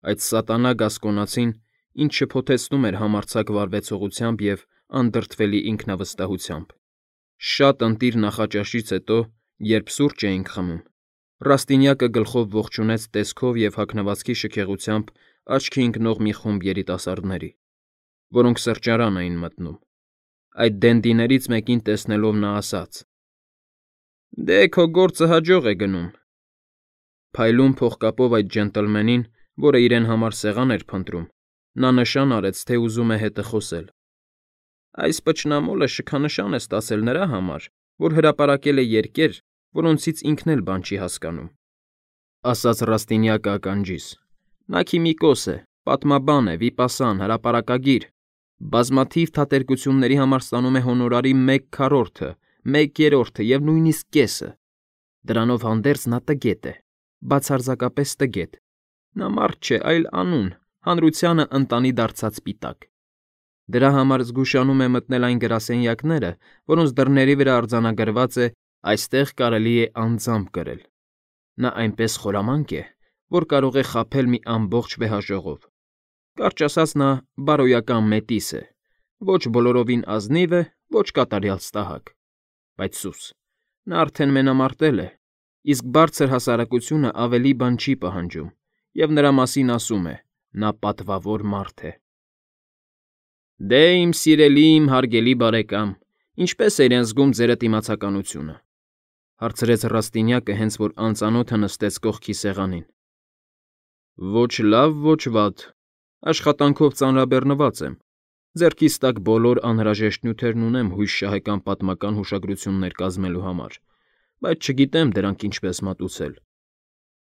Այդ սատանա գասկոնացին, ինչ շփոթեցնում էր համարձակ վարվեցողությամբ և անդրդվելի ինքնավստահությամբ։ Շատ ընտիր նախաճաշից հետո, երբ սուրճ էինք խմում, Ռաստինյակը գլխով ողջունեց տեսքով և հագնվածքի շքեղությամբ աչքի ընկնող մի խումբ երիտասարդների, որոնք սրճարան էին մտնում։ Այդ դենդիներից մեկին տեսնելով նա ասաց. «Դե, քո գործը հաջող է գնում»։ Փայլուն փողկապով այդ ջենտլմենին, որը իրեն համար սեղան էր փնտրում, նա նշան արեց, թե ուզում է հետը խոսել։ «Այս պճնամոլը շքանշան է ստացել նրա համար, որ հրապարակել է երկեր, որոնցից ինքն էլ բան չի հասկանում», ասաց Ռաստինյակը ականջիս։ «Նա քիմիկոս է, պատմաբան է, վիպասան, հրապարակագիր, բազմաթիվ թատերկությունների համար ստանում է հոնորարի 1/4, 1/3 և նույնիսկ կեսը։ Դրանով հանդերձ նա տգետ է, բացարձակապես տգետ։ Նա մարդ չէ, այլ անուն, հանրությանը ընտանի դարձած սպիտակ։ Դրա համար զգուշանում է մտնել այն գրասենյակները, որոնց դռների վրա արձանագրված է «Այստեղ կարելի է անձամբ կրել»։ Նա այնպես խորամանկ է, որ կարող է խաբել մի ամբողջ վեհաժողով։ Կարճ ասած, նա բարոյական մետիս է, ոչ բոլորովին ազնիվ է, ոչ կատարյալ ստահակ։ Բայց սուս, նա արդեն մենամարտել է, իսկ բարձր հասարակությունը ավելի բան չի պահանջում, և նրա մասին ասում է. նա պատվավոր մարդ է։ «Դե, իմ սիրելի, իմ հարգելի բարեկամ, ինչպե՞ս է իրեն զգում ձերդ իմացականությունը», հարցրեց Ռաստինյակը, հենց որ անծանոթը նստեց կողքի սեղանին։ «Ոչ լավ, ոչ վատ, աշխատանքով ծանրաբեռնված եմ, ձեռքիս տակ բոլոր անհրաժեշտ նյութերն ունեմ հույս շահեկան պատմական հուշագրություններ կազմելու համար, բայց չգիտեմ դրանք ինչպես մատուցել։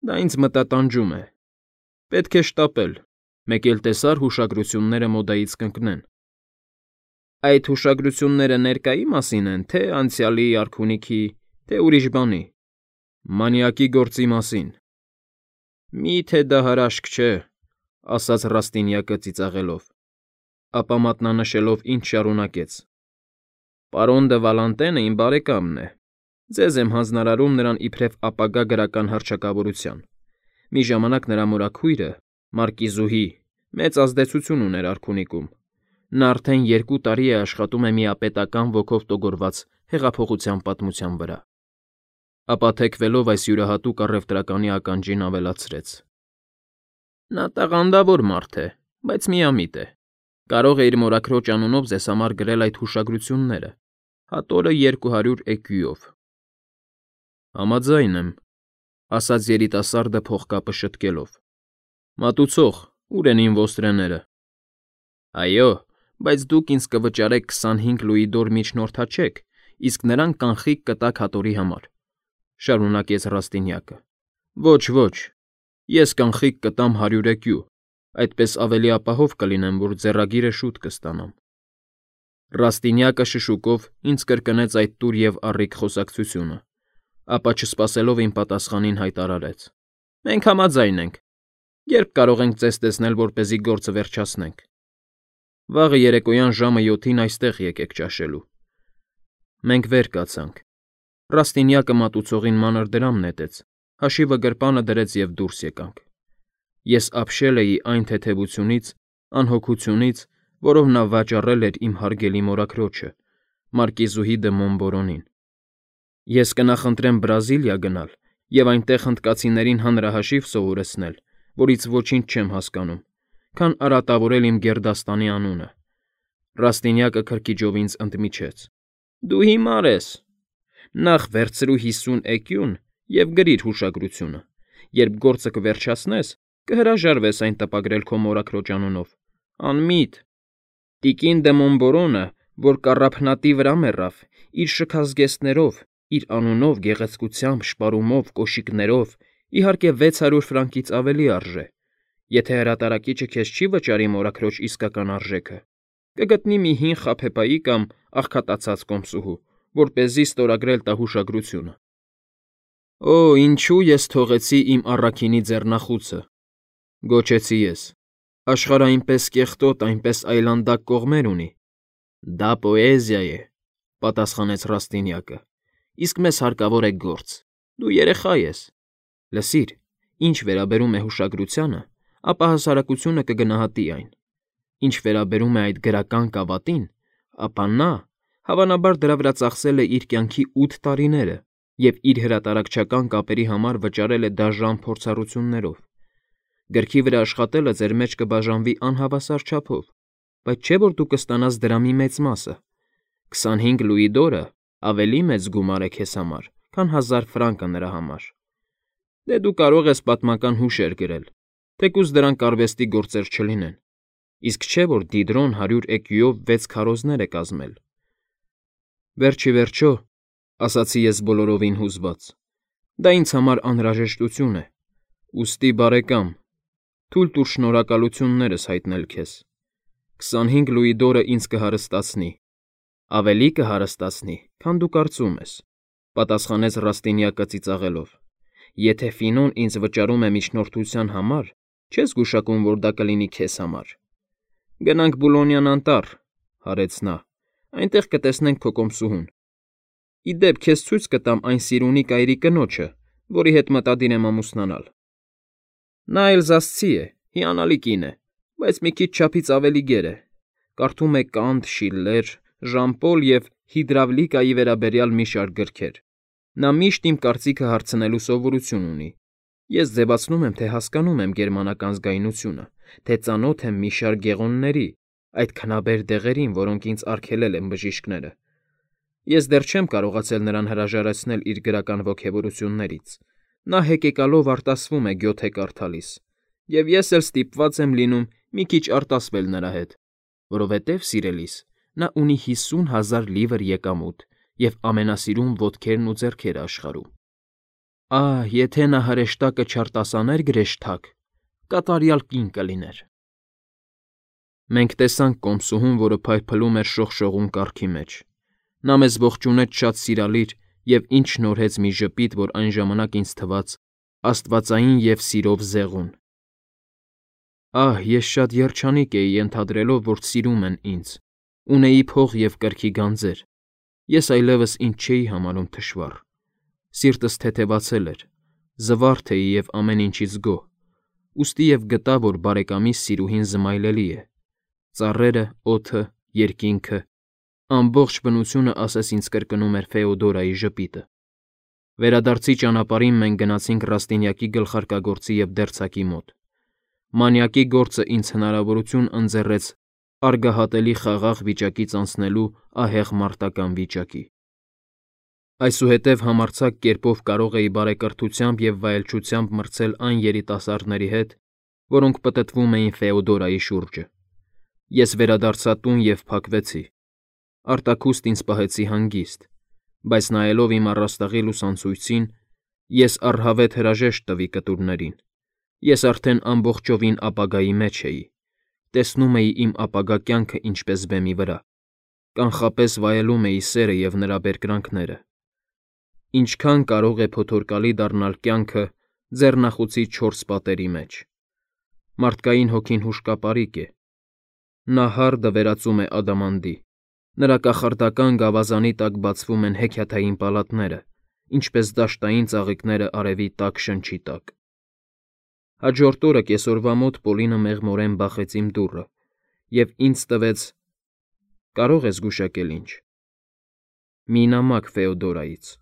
Դա ինձ մտատանջում է։ Պետք է շտապել, մեկ էլ տեսար հուշագրությունները մոդայից կընկնեն»։ «Այդ հուշագրությունները ներկայի մասին են, թե անցյալի, արքունիքի, թե ուրիշ բանի»։ «Մանյակի գործի մասին»։ «Մի՞թե դա հրաշք չէ», ասաց Ռաստինյակը ծիծաղելով, ապա մատնանշելով ինձ շարունակեց. «Պարոն դը Վալանտենը իմ բարեկամն է։ Ձեզ եմ հանձնարարում նրան իբրև ապագա գրական հռչակավորության։ Մի ժամանակ նրա մորաքույրը, մարկիզուհի, մեծ ազդեցություն ուներ արքունիքում։ Նա արդեն 2 տարի է աշխատում է միապետական ոգով տոգորված հեղափոխության պատմության վրա»։ Ապա թեքվելով այս յուրահատուկ առևտրականի ականջին ավելացրեց. «Նա տաղանդավոր մարդ է, բայց միամիտ է։ Կարող է իր մորաքրոջ անունով ձեզ համար գրել այդ հուշագրությունները, հատորը 200 էկյուով»։ «Համաձայն եմ», ասաց երիտասարդը փողկապը շտկելով։ «Մատուցող, ո՞ւր են իմ ոստրեները»։ «Այո, բայց դուք ինձ կվճարեք 25 լուիդոր միջնորդ հաչեք, իսկ նրան կանխիկ կտաք հատորի համար», շարունակեց Ռաստինյակը։ «Ոչ, ոչ, ես կանխիկ կտամ 100 էկյու, այդպես ավելի ապահով կլինեմ, որ ձեռագիրը շուտ կստանամ»։ Ռաստինյակը շշուկով ինձ կրկնեց այդ տուր և առիկ խոսակցությունը, ապա չսպասելով իմ պատասխանին հայտարարեց. «Մենք համաձայն ենք։ Երբ կարող ենք ձեզ տեսնել, որպեսզի գործը վերջացնենք»։ «Վաղը երեկոյան ժամը 7-ին այստեղ եկեք ճաշելու»։ Մենք վեր կացանք։ Ռաստինյակը մատուցողին մանր դրամ նետեց, հաշիվը գրպանը դրեց և դուրս եկանք։ Ես ապշել էի այն թեթևությունից, անհոգությունից, որով նա վաճառել էր իմ հարգելի մորաքրոջը, մարկիզուհի դը Մոնբորոնին։ Ես կնախընտրեմ Բրազիլիա գնալ և այնտեղ հնդկացիներին հանրահաշիվ սովորեցնել, որից ոչինչ չեմ հասկանում, քան արատավորել իմ գերդաստանի անունը։ Ռաստինյակը քրքիջով ինձ ընդմիջեց. «Դու հիմար ես։ Նախ վերցրու 50 էկյուն և գրիր հուշագրությունը։ Երբ գործը կվերջացնես, կհրաժարվես այն տպագրել քո մորաքրոջ անունով։ Անմիտ։ Տիկին դը Մոնբորոնը, որ կառափնատի վրա մեռավ, իր շքազգեստներով, իր անունով, գեղեցկությամբ, շպարումով, կոշիկներով, իհարկե 600 ֆրանկից ավելի արժե։ Եթե հրատարակիչը քեզ չի վճարի մորաքրոջ իսկական արժեքը, կգտնի մի հին խաբեբայի կամ աղքատացած կոմսուհու, որպեսզի ստորագրել տա հուշագրությունը»։ «Օ, ինչու ես թողեցի իմ առաքինի ձեռնախուցը», գոչեցի ես։ «Աշխարհը այնպես կեղտոտ, այնպես այլանդակ կողմեր ունի»։ «Դա պոեզիա է», պատասխանեց Ռաստինյակը, «իսկ մեզ հարկավոր է գործ։ Դու երեխա ես։ Լսիր, ինչ վերաբերում է հուշագրությանը, ապա հասարակությունը կգնահատի այն։ Ինչ վերաբերում է այդ գրական կավատին, ապա նա, հավանաբար, դրա վրա ծախսել է իր կյանքի 8 տարիները և իր հրատարակչական կապերի համար վճարել է դաժան փորձառություններով։ Գրքի վրա աշխատելը ձեր մեջ կբաժանվի անհավասար չափով, բայց չէ՞ որ դու կստանաս դրա մի մեծ մասը։ 25 լուի դորը ավելի մեծ գումար է քեզ համար, քան 1000 ֆրանկը նրա համար։ Դե դու կարող ես պատմական հուշեր գրել, թեկուզ դրանք արվեստի գործեր չլինեն, իսկ չէ՞ որ Դիդրոն 100 էկյուով 6 քարոզներ է կազմել։ Վերջ ի վերջո, ասացի ես բոլորովին հուզված, դա ինձ համար անհրաժեշտություն է, ուստի, բարեկամ, թույլ տուր շնորհակալություններս հայտնել քեզ։ 25 լուի դորը ինձ կհարստացնի, ավելի կհարստացնի, քան դու կարծում ես, պատասխանեց Ռաստինյակը ծիծաղելով։ Եթե Ֆինոն ինձ վճարում է միջնորդության համար, չես գուշակում, որ դա կլինի քեզ համար։ Գնանք Բուլոնյան անտառ, հարեց նա, այնտեղ կտեսնենք քո կոմսուհուն։ Ի դեպ, քեզ ցույց կտամ այն Սիրունի կայրի կնոջը, որի հետ մտադիր եմ ամուսնանալ։ Նա էլզասցի է, հիանալի կին է, բայց մի քիչ չափից ավելի գեր է։ Կարդում է Կանտ, Շիլլեր, Ժան-Պոլ և հիդրավլիկայի վերաբերյալ մի շարք գրքեր։ Նա միշտ իմ կարծիքը հարցնելու սովորություն ունի։ Ես ձևացնում եմ, թե հասկանում եմ գերմանական զգայունությունը, թե ծանոթ եմ մի շարք գեղոնների, այդ քնաբեր դեղերին, որոնք ինձ արգելել են բժիշկները։ Ես դեռ չեմ կարողացել նրան հրաժարեցնել իր գրական ոգևորություններից։ Նա հեկեկալով արտասվում է գյոթե կարդալիս, և ես էլ ստիպված եմ լինում մի քիչ արտասվել նրա հետ, որովհետև, սիրելիս, նա ունի 50,000 լիվր եկամուտ և ամենասիրուն ոտքերն ու ձեռքերը աշխարհում։ Ահ, եթե նա հրեշտակը չարտասաներ գրեշտակ, կատարյալ կին կլիներ։ Մենք տեսանք կոմսուհուն, որը փայլփլում էր շողշողուն կառքի մեջ։ Նա մեզ ողջունեց շատ սիրալիր և ինձ շնորհեց մի ժպիտ, որ այն ժամանակ ինձ թվաց աստվածային և սիրով զեղուն։ Ահ, ես շատ երջանիկ էի ենթադրելով, որ սիրում են ինձ, ունեի փող և կրքի գանձեր, ես այլևս ինձ չէի համարում թշվառ, սիրտս թեթևացել էր, զվարթ էի և ամեն ինչից գոհ, ուստի և գտա, որ բարեկամիս սիրուհին զմայլելի է, ծառերը, օդը, երկինքը, ամբողջ բնությունը ասես ինձ կրկնում էր Ֆեոդորայի ժպիտը։ Վերադարձի ճանապարհին մենք գնացինք Ռաստինյակի գլխարկագործի և դերձակի մոտ։ Մանյակի գործը ինձ հնարավորություն ընձեռեց արգահատելի խաղաղ վիճակից անցնելու ահեղ մարտական վիճակի։ Այսուհետև համարձակ կերպով կարող էի բարեկրթությամբ և վայելչությամբ մրցել այն երիտասարդների հետ, որոնք պտտվում էին Ֆեոդորայի շուրջը։ Ես վերադարձա տուն և փակվեցի։ Արտաքուստ ինձ պահեցի հանգիստ, բայց նայելով իմ առաստաղի լուսանցույցին, ես առհավետ հրաժեշտ տվի կտուրներին։ Ես արդեն ամբողջովին ապագայի մեջ էի, տեսնում էի իմ ապագա կյանքը ինչպես բեմի վրա, կանխապես վայելում էի սերը և նրա բերկրանքները։ Ինչքան կարող է փոթորկալի դառնալ կյանքը ձեռնախուցի 4 պատերի մեջ։ Մարդկային հոգին հուշկապարիկ է։ Նա հարդը վերածում է ադամանդի, նրա կախարդական գավազանի տակ բացվում են հեքիաթային պալատները, ինչպես դաշտային ծաղիկները արևի տաք շնչի տակ։ Հաջորդ օրը կեսօրվա մոտ Պոլինը մեղմորեն բախեց իմ դուռը և ինձ տվեց, կարող ես գուշակել ինչ, մի նամակ Ֆեոդորայից։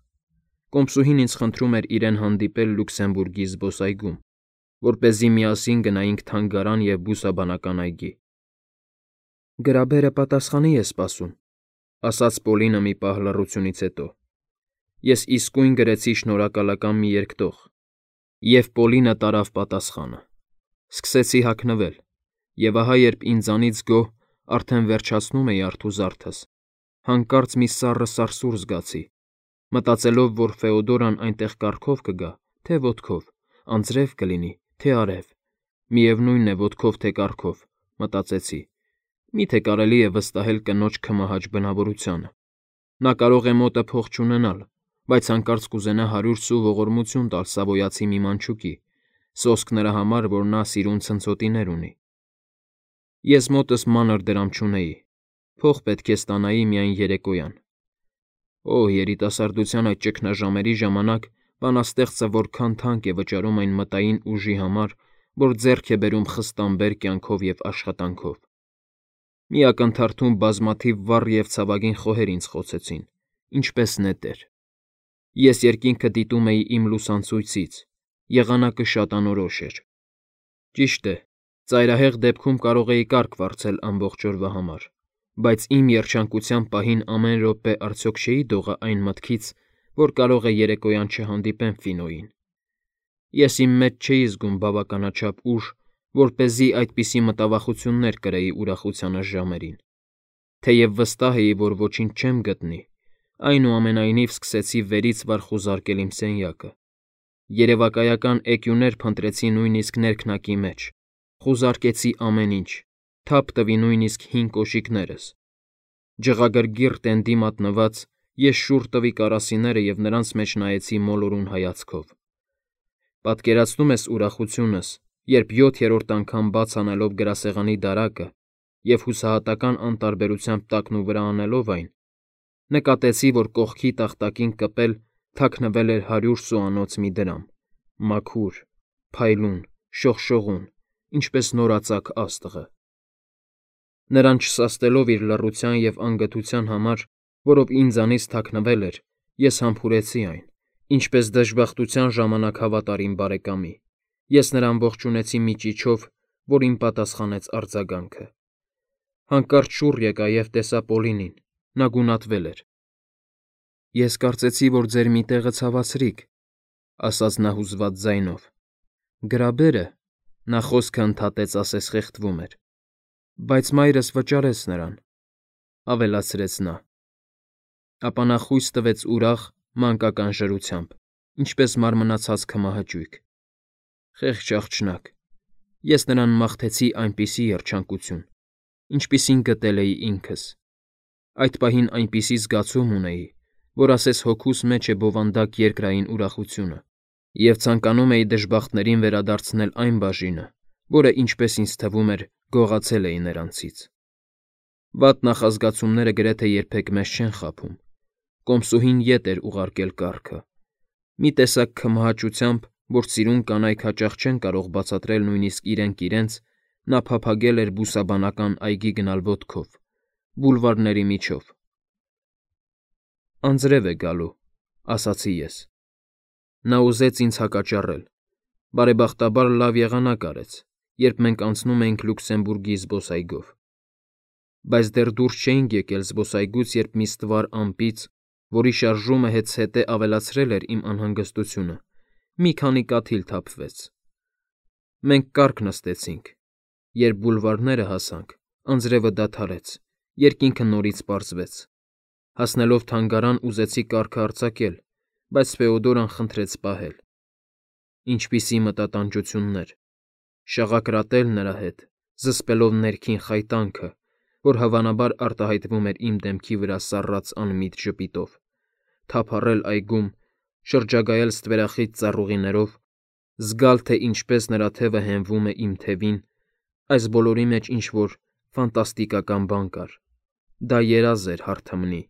Կոմսուհին ինձ խնդրում էր իրեն հանդիպել Լյուքսեմբուրգի զբոսայգում, որպեսզի միասին գնայինք թանգարան և բուսաբանական այգի։ Գրաբերը պատասխանի է սպասում, ասաց Պոլինը մի պահ լռությունից հետո։ Ես իսկույն գրեցի շնորհակալական մի երկտող, և Պոլինը տարավ պատասխանը։ Սկսեցի հագնվել, և ահա երբ ինձանից գոհ արդեն վերջացնում էի արթուզարդս, հանկարծ մի սառը սարսուռ զգացի, մտածելով, որ Ֆեոդորան այնտեղ կառքով կգա, թե ոտքով, անձրև կլինի, թե արև, միևնույն է ոտքով, թե կառքով, մտածեցի, միթե կարելի է վստահել կնոջ քմահաճ բնավորությանը։ Նա կարող է մոտը փող չունենալ, բայց հանկարծ կուզենա 100 սու ողորմություն տալ Սավոյացի մի մանչուկի, սոսկ նրա համար, որ նա սիրուն ցնցոտիներ ունի։ Ես մոտս մանր դրամ չունեի, փող պետք է ստանայի միայն երեկոյան։ Օ, երիտասարդության այդ ճգնաժամերի ժամանակ բանաստեղծը որքան թանկ է վճարում այն մտային ուժի համար, որ ձեռք է բերում խստամբեր կյանքով և աշխատանքով։ Մի ակնթարթում բազմաթիվ վառ և ցավագին խոհեր ինձ խոցեցին, ինչպես նետեր։ Ես երկինքը դիտում էի իմ լուսանցույցից, եղանակը շատ անորոշ էր։ Ճիշտ է, ծայրահեղ դեպքում կարող էի կարգ վարձել ամբողջ օրվա համար, բայց իմ երջանկության պահին ամեն րոպե արդյոք չէի դողա այն մտքից, որ կարող է երեկոյան չհանդիպեմ Ֆինոյին։ Ես իմ մեջ չէի զգում բավականաչափ ուժ, որպեսզի այդպիսի մտավախություններ կրեի ուրախությանս ժամերին։ Թեև վստահ էի, որ ոչինչ չեմ գտնի, այնուամենայնիվ սկսեցի վերից վար խուզարկել իմ սենյակը։ Երևակայական էկյուներ փնտրեցի նույնիսկ ներքնակի մեջ, խուզարկեցի ամեն ինչ, թափ տվի նույնիսկ հին կոշիկներս։ Ջղագրգիռ տենդի մատնված ես շուռ տվի կարասիները և նրանց մեջ նայեցի մոլորուն հայացքով։ Պատկերացնո՞ւմ ես ուրախությունս, երբ 7-րդ անգամ բաց անելով գրասեղանի դարակը և հուսահատական անտարբերությամբ տակնուվրա անելով այն, նկատեցի, որ կողքի տախտակին կպել թաքնվել էր 100 սուանոց մի դրամ, մաքուր, փայլուն, շողշողուն, ինչպես նորածակ աստղը։ Նրան չսաստելով իր լռության և անգթության համար, որով ինձանից թաքնվել էր, ես համբուրեցի այն, ինչպես դժբախտության ժամանակ հավատարիմ բարեկամի։ Ես նրան ողջունեցի մի ճիչով, որին պատասխանեց արձագանքը։ Հանկարծ շուռ եկա և տեսա Պոլինին, նա գունատվել էր։ Ես կարծեցի, որ ձեր մի տեղը ցավացրիք, ասաց նա հուզված ձայնով։ Գրաբերը, նա խոսքը ընդհատեց, ասես խեղդվում էր, բայց մայրս վճարեց նրան, ավելացրեց նա։ Ապա նա խույս տվեց ուրախ, մանկական ժրությամբ, ինչպես մարմնացած քմահաճույք։ Խեղճ աղջնակ, ես նրան մաղթեցի այնպիսի երջանկություն, ինչպիսին գտել էի ինքս։ Այդ պահին այնպիսի զգացում ունեի, որ ասես հոգուս մեջ է բովանդակ երկրային ուրախությունը, և ցանկանում էի դժբախտներին վերադարձնել այն բաժինը, որը, ինչպես ինձ թվում էր, գողացել էի նրանցից։ Վատ նախազգացումները գրեթե երբեք մեզ չեն խաբում։ Կոմսուհին ետ էր ուղարկել կառքը։ Մի տեսակ քմահաճությամբ, որ սիրուն կանայք հաճախ չեն կարող բացատրել նույնիսկ իրենք իրենց, նա փափագել էր բուսաբանական այգի գնալ ոտքով, բուլվարների միջով։ Անձրև է գալու, ասացի ես։ Նա ուզեց ինձ հակաճառել։ Բարեբախտաբար լավ եղանակ արեց, երբ մենք անցնում էինք Լյուքսեմբուրգի զբոսայգով։ Բայց դեռ դուրս չէինք եկել զբոսայգուց, երբ մի ստվար ամպից, որի շարժումը հետզհետե ավելացրել էր իմ անհանգստությունը, մի քանի կաթիլ թափվեց։ Մենք կառք նստեցինք։ Երբ բուլվարները հասանք, անձրևը դադարեց, երկինքը նորից պարզվեց։ Հասնելով թանգարան, ուզեցի կառքը արձակել, բայց Ֆեոդորան խնդրեց պահել։ Ինչպիսի մտատանջություններ։ Շաղակրատել նրա հետ, զսպելով ներքին խայտանքը, որ հավանաբար արտահայտվում էր իմ դեմքի վրա սառած անմիտ ժպիտով, թափառել այգում, շրջագայել ստվերախիտ ծառուղիներով, զգալ, թե ինչպես նրա թևը հենվում է իմ թևին, այս բոլորի մեջ ինչ-որ ֆանտաստիկական բան կար։ Դա երազ էր հարթմնի։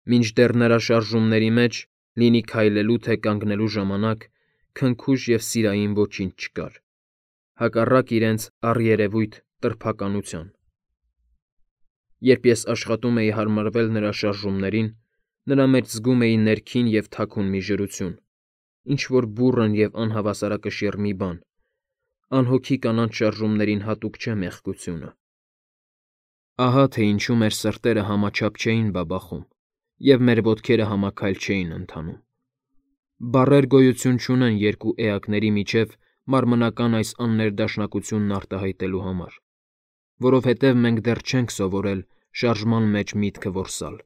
Մինչդեռ նրա շարժումների մեջ, լինի քայլելու թե կանգնելու ժամանակ, քնքուշ և սիրային ոչինչ չկար, հակառակ իրենց առերևույթ տրփականության։ Երբ ես աշխատում էի հարմարվել նրա շարժումներին, նրա մեջ զգում էի ներքին և թաքուն մի ժրություն, ինչ-որ բուռն և անհավասարակշիռ մի բան, անհոգի կանանց շարժումներին հատուկ չէ մեղքությունը։ Ահա թե ինչու մեր սրտերը համաչափ չէին բաբախում, և մեր ոտքերը համաքայլ չէին ընթանում։ Բառեր գոյություն չունեն երկու էակների միջև մարմնական այս աններդաշնակությունն արտահայտելու համար, որովհետև մենք դեռ չենք սովորել շարժման մեջ միտքը որսալ։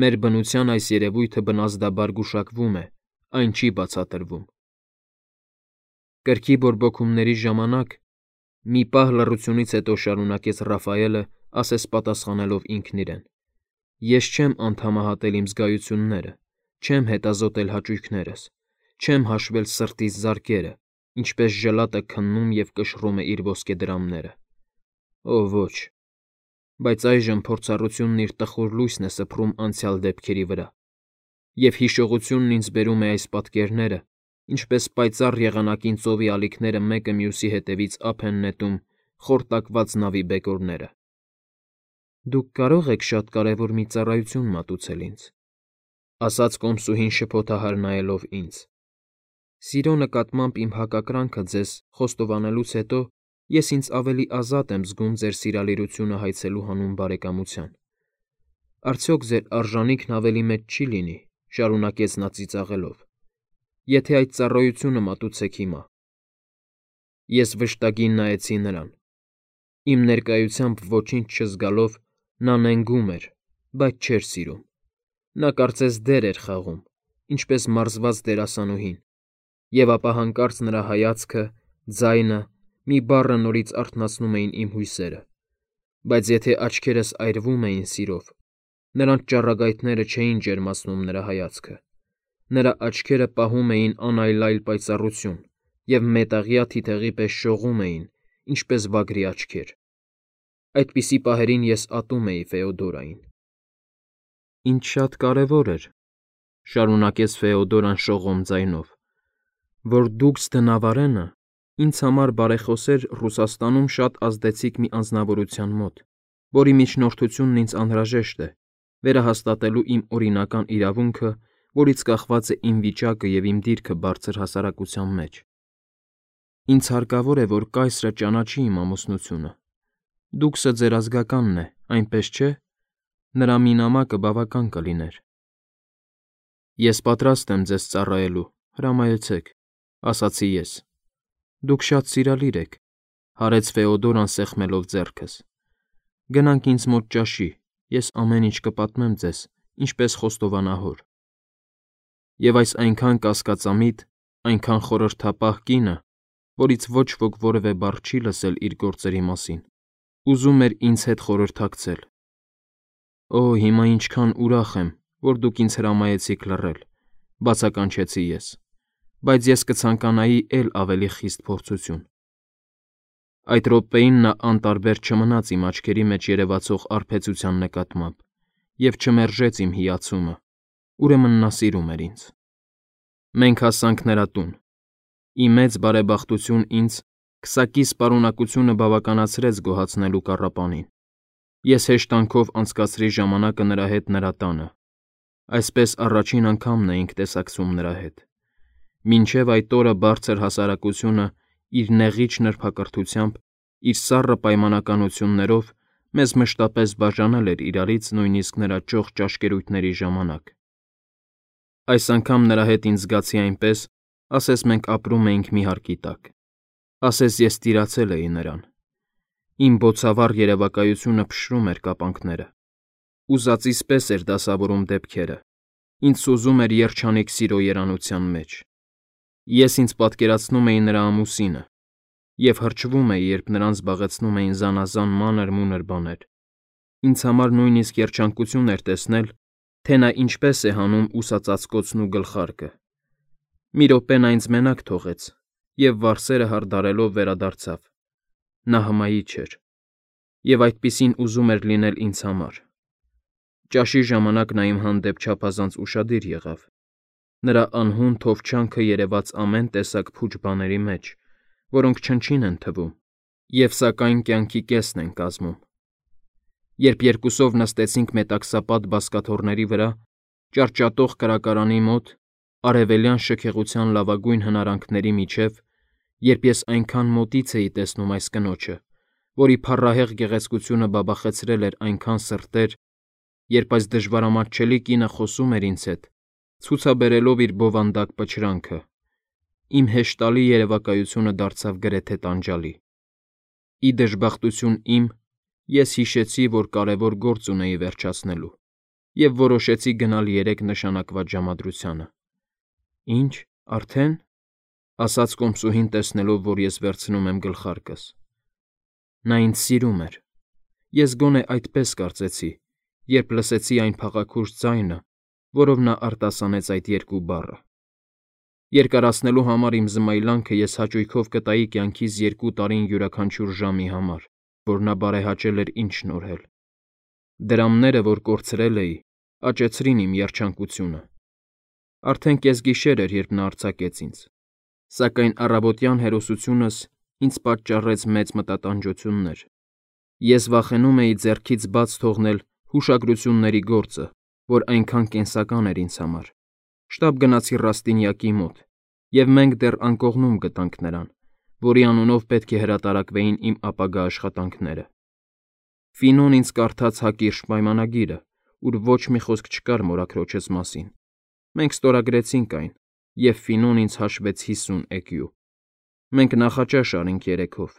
Մեր բնության այս երևույթը բնազդաբար գուշակվում է, այն չի բացատրվում։ Կրքի բորբոքումների ժամանակ, մի պահ լռությունից հետո շարունակեց Ռաֆայելը, ասես պատասխանելով ինքն իրեն. Ես չեմ անդամահատել իմ զգայությունները, չեմ հետազոտել հաճույքներս, չեմ հաշվել սրտիս զարկերը, ինչպես ժլատը քննում և կշռում է իր ոսկեդրամները։ Օ, ոչ։ Բայց այժմ փորձառությունն իր տխուր լույսն է սփռում անցյալ դեպքերի վրա, և հիշողությունն ինձ բերում է այս պատկերները, ինչպես պայծառ եղանակին ծովի ալիքները մեկը մյուսի հետևից ափ են նետում խորտակված նավի բեկորները։ Դուք կարող եք շատ կարևոր մի ծառայություն մատուցել ինձ, ասաց կոմսուհին շփոթահար նայելով ինձ։ Սիրո նկատմամբ իմ հակակրանքը ձեզ խոստովանելուց հետո ես ինձ ավելի ազատ եմ զգում ձեր սիրալիրությունը հայցելու հանուն բարեկամության։ Արդյոք ձեր արժանիքն ավելի մեծ չի լինի, շարունակեց նա ծիծաղելով, եթե այդ ծառայությունը մատուցեք հիմա։ Ես վշտագին նայեցի նրան։ Իմ ներկայությամբ ոչինչ չզգալով նա նենգում էր, բայց չէր սիրում։ Նա կարծես դեր էր խաղում, ինչպես մարզված դերասանուհին, եւ ապա հանկարծ նրա հայացքը, ձայնը, մի բառը նորից արթնացնում էին իմ հույսերը։ Բայց եթե աչքերս այրվում էին սիրով, նրանց ճառագայթները չէին ջերմացնում նրա հայացքը։ Նրա աչքերը պահում էին անայլայլ պայծառություն և մետաղյա թիթեղի պես շողում էին, ինչպես վագրի աչքեր։ Այդպիսի պահերին ես ատում էի Ֆեոդորային։ Ինչ շատ կարևոր էր, շարունակեց Ֆեոդորան շողոմ ձայնով, որ դուք Սթնավարենը ինձ համար բարեխոսեր Ռուսաստանում շատ ազդեցիկ մի անձնավորության մոտ, որի միջնորդությունն ինձ անհրաժեշտ է, վերահաստատելու իմ օրինական իրավունքը, որից կախված է իմ վիճակը և իմ դիրքը բարձր հասարակության մեջ։ Ինձ հարկավոր է, որ կայսրը ճանաչի իմ ամուսնությունը։ Դուքսը ձեր ազգականն է, այնպես չէ՞։ Նրա մի նամակը բավական կլիներ։ Ես պատրաստ եմ ձեզ ծառայելու, հրամայեցեք, ասացի ես։ Դուք շատ սիրալիր եք, հարեց Ֆեոդորան սեղմելով ձեռքս։ Գնանք ինձ մոտ ճաշի, ես ամեն ինչ կպատմեմ ձեզ, ինչպես խոստովանահոր։ Եվ այս այնքան կասկածամիտ, այնքան խորհրդապահ կինը, որից ոչ ոք որևէ բառ չի լսել իր գործերի մասին, ուզում էր ինձ հետ խորհրդակցել։ Օ, հիմա ինչքան ուրախ եմ, որ դուք ինձ հրամայեցիք լռել, բացականչեցի ես, բայց ես կցանկանայի էլ ավելի խիստ փորձություն։ Այդ րոպեին նա անտարբեր չմնաց իմ աչքերի մեջ երևացող արբեցության նկատմամբ և չմերժեց իմ հիացումը, ուրեմն նա սիրում էր ինձ։ Մենք հասանք նրա տուն։ Ի մեծ բարեբախտություն ինձ քսակիս պարունակությունը բավականացրեց գոհացնելու կառապանին։ Ես հեշտանքով անցկացրի ժամանակը նրա հետ նրա տանը։ Այսպես առաջին անգամն էինք տեսակցում նրա հետ։ Մինչև այդ օրը բարձր հասարակությունը իր նեղիչ նրբակրթությամբ, իր սառը պայմանականություններով մեզ մշտապես բաժանել էր իրարից նույնիսկ նրա ճոխ ճաշկերույթների ժամանակ։ Այս անգամ նրա հետ ինձ զգացի այնպես, ասես մենք ապրում էինք մի հարկի տակ։ Ասես ես տիրացել էի նրան։ Իմ բոցավառ երևակայությունը փշրում էր կապանքները։ Ուզածիս պես էր դասավորում դեպքերը։ Ինձ սուզում էր երջանիկ սիրո երանության մեջ։ Ես ինձ պատկերացնում էի նրա ամուսինը և հրճվում էի, երբ նրան զբաղեցնում էին զանազան մանր-մունր բաներ։ Ինձ համար նույնիսկ երջանկություն էր տեսնել, թե նա ինչպես է հանում ուսածածկոցն ու գլխարկը։ Մի րոպե նա ինձ մենակ թողեց և վարսերը հարդարելով վերադարձավ։ Նա հմայիչ էր և այդպիսին ուզում էր լինել ինձ համար։ Ճաշի ժամանակ նա իմ հանդեպ չափազանց ուշադիր եղավ։ Նրա անհուն թովչանքը երևաց ամեն տեսակ փուչ բաների մեջ, որոնք չնչին են թվում և սակայն կյանքի կեսն են կազմում։ Երբ երկուսով նստեցինք մետաքսապատ բազկաթոռների վրա, ճարճատող կրակարանի մոտ, արևելյան շքեղության լավագույն հնարանքների միջև, երբ ես այնքան մոտից էի տեսնում այս կնոջը, որի փառահեղ գեղեցկությունը բաբախեցրել էր այնքան սրտեր, երբ այս դժվարամատչելի կինը խոսում էր ինձ հետ, ցուցաբերելով իր բովանդակ պչրանքը, իմ հեշտալի երևակայությունը դարձավ գրեթե տանջալի։ Ի դժբախտություն իմ, ես հիշեցի, որ կարևոր գործ ունեի վերջացնելու և որոշեցի գնալ երեկ նշանակված ժամադրությանը։ Ինչ, արդեն, ասաց կոմսուհին, տեսնելով, որ ես վերցնում եմ գլխարկս։ Նա ինձ սիրում էր։ Ես գոնե այդպես կարծեցի, երբ լսեցի այն փաղաքուշ ձայնը, որով նա արտասանեց այդ երկու բառը։ Երկարացնելու համար իմ զմայլանքը ես հաճույքով կտայի կյանքիս 2 տարին յուրաքանչյուր ժամի համար, որ նա բարեհաճել էր ինձ շնորհել։ Դրամները, որ կորցրել էի, աճեցրին իմ երջանկությունը։ Արդեն կեսգիշեր էր, երբ նա արձակեց ինձ։ Սակայն առավոտյան հերոսությունս ինձ պատճառեց մեծ մտատանջություններ։ Ես վախենում էի ձեռքից բաց թողնել հուշագրությունների գործը, որ այնքան կենսական էր ինձ համար։ Շտապ գնացի Ռաստինյակի մոտ, և մենք դեռ անկողնում գտանք նրան, որի անունով պետք է հրատարակվեին իմ ապագա աշխատանքները։ Ֆինոն ինձ կարդաց հակիրճ պայմանագիրը, ուր ոչ մի խոսք չկար մորաքրոջս մասին։ Մենք ստորագրեցինք այն, և Ֆինոն ինձ հաշվեց 50 էկյու։ Մենք նախաճաշ արինք երեքով։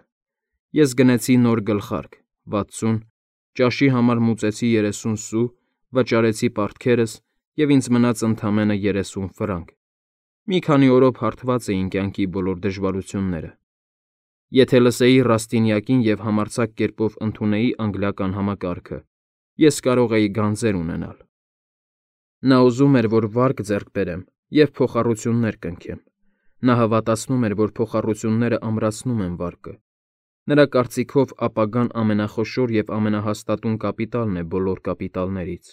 Ես գնեցի նոր գլխարկ, 60, ճաշի համար մուծեցի 30 սու, վճարեցի պարտքերս և ինձ մնաց ընդամենը 30 ֆրանկ։ Մի քանի օրով հարթված էին կյանքի բոլոր դժվարությունները։ Եթե լսեի Ռաստինյակին և համարձակ կերպով ընդունեի անգլիական համակարգը, ես կարող էի գանձեր ունենալ։ Նա ուզում էր, որ վարկ ձեռք բերեմ և փոխառություններ կնքեմ։ Նա հավատացնում էր, որ փոխառությունները ամրացնում են վարկը։ Նրա կարծիքով ապագան ամենախոշոր և ամենահաստատուն կապիտալն է բոլոր կապիտալներից։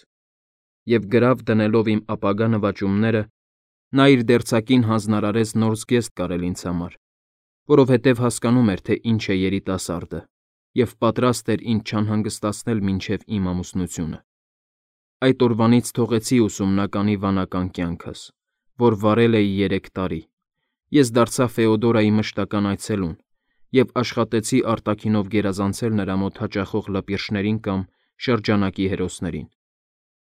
Եվ գրավ դնելով իմ ապագա նվաճումները, նա իր դերձակին հանձնարարեց նոր զգեստ կարել ինձ համար, որովհետև հասկանում էր, թե ինչ է երիտասարդը, և պատրաստ էր ինձ չանհանգստացնել մինչև իմ ամուսնությունը։ Այդ օրվանից թողեցի ուսումնականի վանական կյանքս, որ վարել էի 3 տարի։ Ես դարձա Ֆեոդորայի մշտական այցելուն և աշխատեցի արտաքինով գերազանցել նրա մոտ հաճախող լպիրշներին կամ շրջանակի հերոսներին։